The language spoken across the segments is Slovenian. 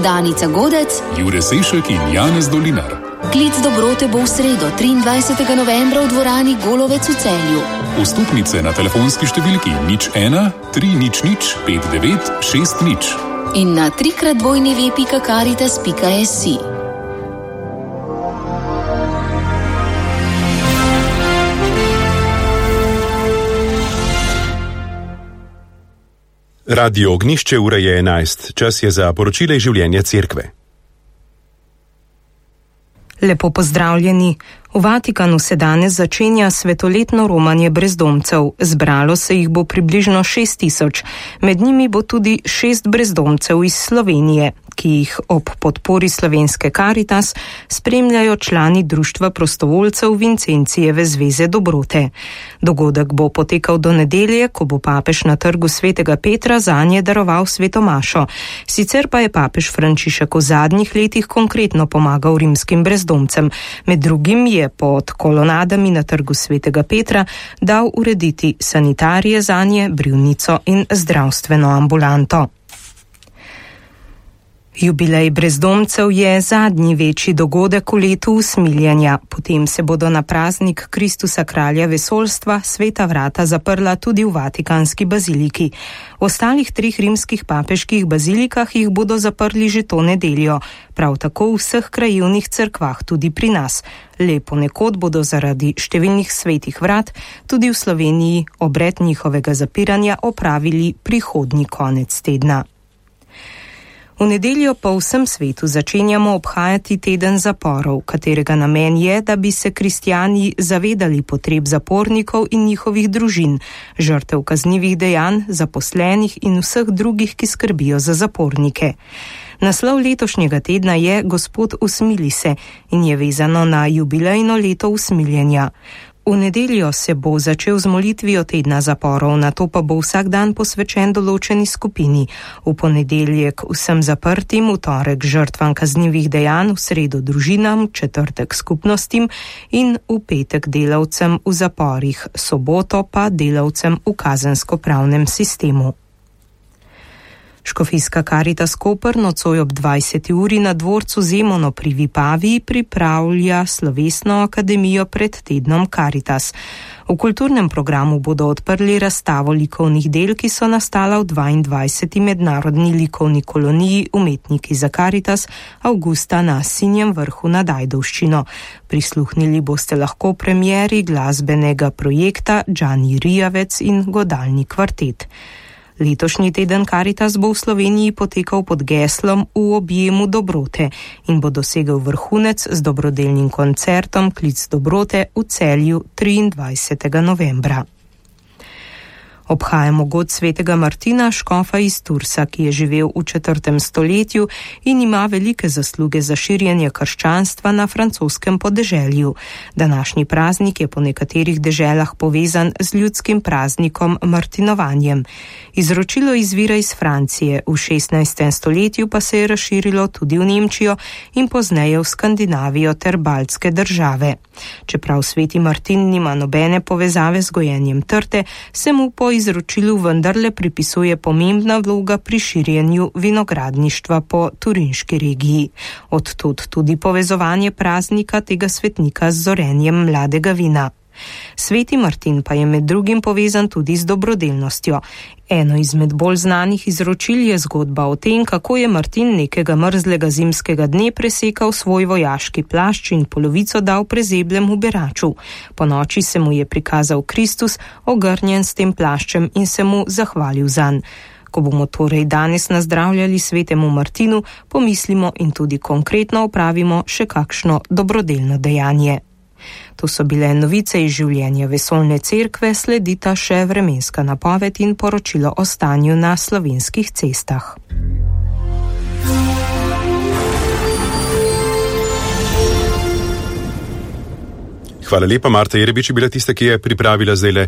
Danica Godec, Jure Sešek in Janez Dolinar. Klic dobrote bo v sredo 23. novembra v dvorani Golovec v Celju. Vstopnice na telefonski številki 01 300 59 60 in na www.caritas.si. Radio Ognišče, ura je 11. Čas je za poročile iz življenja cerkve. Lepo pozdravljeni. V Vatikanu se danes začenja svetoletno romanje brezdomcev. Zbralo se jih bo približno 6.000. Med njimi bo tudi 6 brezdomcev iz Slovenije, ki jih ob podpori slovenske Caritas spremljajo člani Društva prostovoljcev Vincencijeve zveze dobrote. Dogodek bo potekal do nedelje, ko bo papež na trgu Svetega Petra zanje daroval sveto mašo. Sicer pa je papež Frančišek v zadnjih letih konkretno pomagal rimskim brezdomcem. Med drugim je pod kolonadami na trgu Svetega Petra dal urediti sanitarije zanje, brivnico in zdravstveno ambulanto. Jubilej brezdomcev je zadnji večji dogodek v letu usmiljenja. Potem se bodo na praznik Kristusa kralja vesoljstva sveta vrata zaprla tudi v Vatikanski baziliki. V ostalih 3 rimskih papeških bazilikah jih bodo zaprli že to nedeljo. Prav tako v vseh krajevnih cerkvah, tudi pri nas. Le ponekod bodo zaradi številnih svetih vrat tudi v Sloveniji obred njihovega zapiranja opravili prihodnji konec tedna. V nedeljo po vsem svetu začenjamo obhajati teden zaporov, katerega namen je, da bi se kristjani zavedali potreb zapornikov in njihovih družin, žrtev kaznivih dejanj, zaposlenih in vseh drugih, ki skrbijo za zapornike. Naslov letošnjega tedna je Gospod usmili se in je vezano na jubilejno leto usmiljenja. V nedeljo se bo začel z molitvijo tedna zaporov, nato pa bo vsak dan posvečen določeni skupini. V ponedeljek vsem zaprtim, v torek žrtvam kaznivih dejanj, v sredo družinam, četrtek skupnostim in v petek delavcem v zaporih, soboto pa delavcem v kazensko-pravnem sistemu. Škofijska Caritas Koper nocoj ob 20. uri na dvorcu Zemono pri Vipaviji pripravlja slovesno akademijo pred tednom Caritas. V kulturnem programu bodo odprli razstavo likovnih del, ki so nastala v 22. mednarodni likovni koloniji Umetniki za Caritas avgusta na Sinjem vrhu nad Ajdovščino. Prisluhnili boste lahko premieri glasbenega projekta Džani Rijavec in godalni kvartet. Letošnji teden Caritas bo v Sloveniji potekal pod geslom V objemu dobrote in bo dosegel vrhunec z dobrodelnim koncertom Klic dobrote v Celju 23. novembra. Obhajamo god svetega Martina, škofa iz Tursa, ki je živel v 4. stoletju in ima velike zasluge za širjenje krščanstva na francoskem podeželju. Današnji praznik je po nekaterih deželah povezan z ljudskim praznikom Martinovanjem. Izročilo izvira iz Francije, v 16. stoletju pa se je razširilo tudi v Nemčijo in pozneje v Skandinavijo ter baltske države. Čeprav sveti Martin nima nobene povezave z gojenjem trte, se mu po izročilu vendarle pripisuje pomembna vloga pri širjenju vinogradništva po turinški regiji. Odtud tudi povezovanje praznika tega svetnika z zorenjem mladega vina. Sveti Martin pa je med drugim povezan tudi z dobrodelnostjo. Eno izmed bolj znanih izročil je zgodba o tem, kako je Martin nekega mrzlega zimskega dne presekal svoj vojaški plašč in polovico dal prezeblemu beraču. Po noči se mu je prikazal Kristus, ogrnjen s tem plaščem in se mu zahvalil zanj. Ko bomo torej danes nazdravljali svetemu Martinu, pomislimo in tudi konkretno opravimo še kakšno dobrodelno dejanje. To so bile novice iz življenja vesoljne cerkve, sledita še vremenska napoved in poročilo o stanju na slovenskih cestah. Hvala lepa, Marta Jerebič je bila tista, ki je pripravila zdajle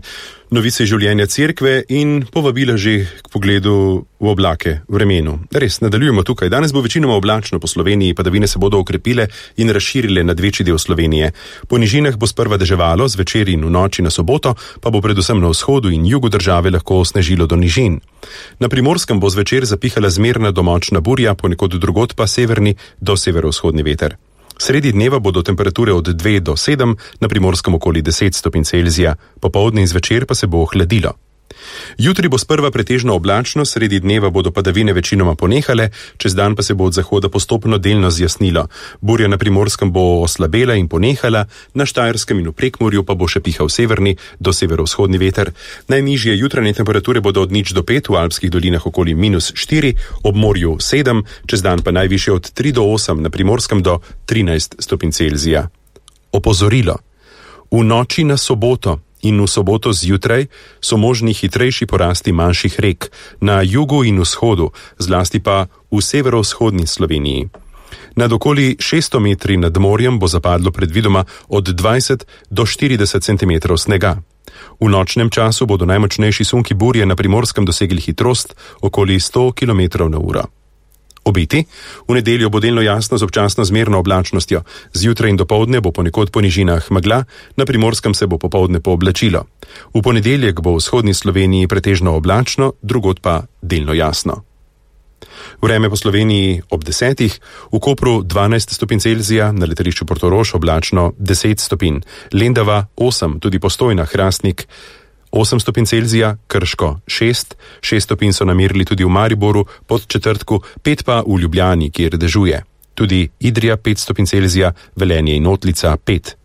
novice življenja cerkve in povabila že k pogledu v oblake vremenu. Res, nadaljujemo tukaj. Danes bo večinoma oblačno po Sloveniji, padavine se bodo okrepile in razširile nad večji del Slovenije. Po nižinah bo sprva deževalo, zvečer in v noči na soboto pa bo predvsem na vzhodu in jugu države lahko snežilo do nižin. Na Primorskem bo zvečer zapihala zmerna do močna burja, ponekod drugod pa severni do severovzhodni veter. Sredi dneva bodo temperature od 2 do 7, na Primorskem okoli 10 stopinj Celzija, popoldne in zvečer pa se bo ohladilo. Jutri bo sprva pretežno oblačno, sredi dneva bodo padavine večinoma ponehale, čez dan pa se bo od zahoda postopno delno zjasnilo. Burja na Primorskem bo oslabela in ponehala, na Štajerskem in v Prekmurju pa bo še pihal severni do severovzhodni veter. Najnižje jutranje temperature bodo od 0 do 5, v alpskih dolinah okoli -4, ob morju 7, čez dan pa najvišje od 3 do 8, na Primorskem do 13 stopinj Celzija. Opozorilo. V noči na soboto in v soboto zjutraj so možni hitrejši porasti manjših rek na jugu in vzhodu, zlasti pa v severovzhodni Sloveniji. Nad okoli 600 metri nad morjem bo zapadlo predvidoma od 20 do 40 cm snega. V nočnem času bodo najmočnejši sunki burje na Primorskem dosegli hitrost okoli 100 km/h. Obeti. V nedeljo bo delno jasno z občasno zmerno oblačnostjo. Zjutraj in dopoldne bo ponekod po nižinah megla, na Primorskem se bo popoldne pooblačilo. V ponedeljek bo v vzhodni Sloveniji pretežno oblačno, drugod pa delno jasno. Vreme po Sloveniji ob 10, v Kopru 12 stopinj Celzija, na letališču Portorož oblačno 10 stopinj, Lendava 8, tudi Postojna, Hrastnik 8 stopinj Celzija, Krško 6 stopinj so namerili tudi v Mariboru, Podčetrtku 5 pa v Ljubljani, kjer dežuje. Tudi Idrija 5 stopinj Celzija, Velenje in Otlica 5.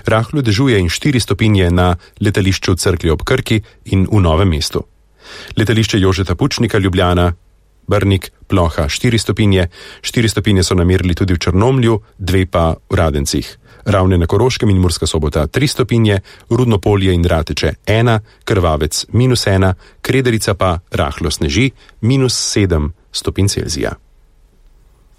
Rahlo dežuje in 4 stopinje na letališču Cerklje ob Krki in v Novem mestu. Letališče Jožeta Pučnika, Ljubljana, Brnik, Ploha 4 stopinje, 4 stopinje so namerili tudi v Črnomlju, 2 pa v Radencih. Ravne na Koroškem in Murska Sobota 3 stopinje, Rudnopolje in Rateče 1, Krvavec -1, Krederica pa rahlo sneži -7 stopinj Celzija.